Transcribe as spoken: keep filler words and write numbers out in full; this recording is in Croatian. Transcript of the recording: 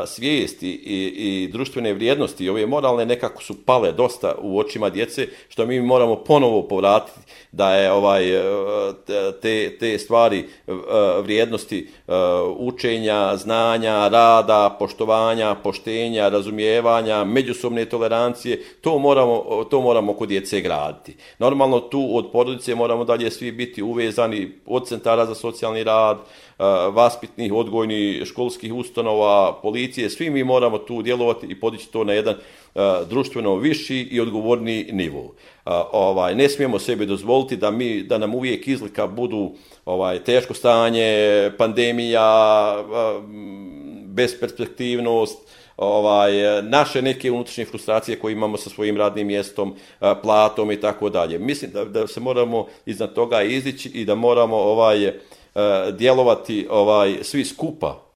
svijesti i, i društvene vrijednosti i ove moralne nekako su pale dosta u očima djece, što mi moramo ponovo povratiti da je ovaj te, te stvari vrijednosti učenja, znanja, rada, poštovanja, poštenja, razumijevanja, međusobne tolerancije, to moramo, to moramo kod djece graditi. Normalno tu od porodice moramo dalje svi biti uvezani od centara za socijalni rad, vaspitnih, odgojnih, školskih ustanova, policije, svi mi moramo tu djelovati i podići to na jedan društveno viši i odgovorniji nivo. Ovaj, ne smijemo sebi dozvoliti da, mi, da nam uvijek izlika budu ovaj, teško stanje, pandemija, besperspektivnost, ovaj, naše neke unutrašnje frustracije koje imamo sa svojim radnim mjestom, platom i tako dalje. Mislim da, da se moramo iznad toga izići i da moramo ovaj, djelovati ovaj, svi skupa